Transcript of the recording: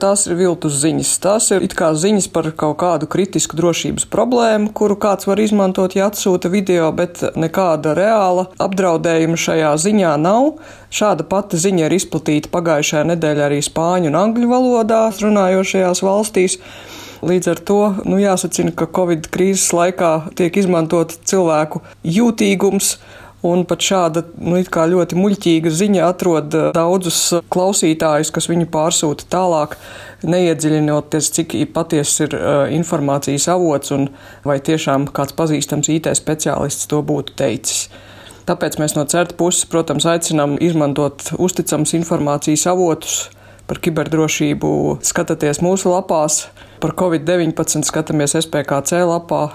Tās ir viltus ziņas. Tās ir it kā ziņas par kaut kādu kritisku drošības problēmu, kuru kāds var izmantot, ja atsūta video, bet nekāda reāla apdraudējuma šajā ziņā nav. Šāda pati ziņa ir izplatīta pagājušajā nedēļā arī spāņu un angļu valodā runājošajās valstīs. Līdz ar to jāsacina, ka Covid krīzes laikā tiek izmantot cilvēku jūtīgums. Un pat šāda it kā ļoti muļķīga ziņa atrod daudzus klausītājus, kas viņu pārsūta tālāk, neiedziļinoties, cik patiesi ir informācijas avots un vai tiešām kāds pazīstams IT speciālists to būtu teicis. Tāpēc mēs no CERT puses, protams, aicinām izmantot uzticams informācijas avotus. Par kiberdrošību skatāties mūsu lapās, par Covid-19 skatāmies SPKC lapā,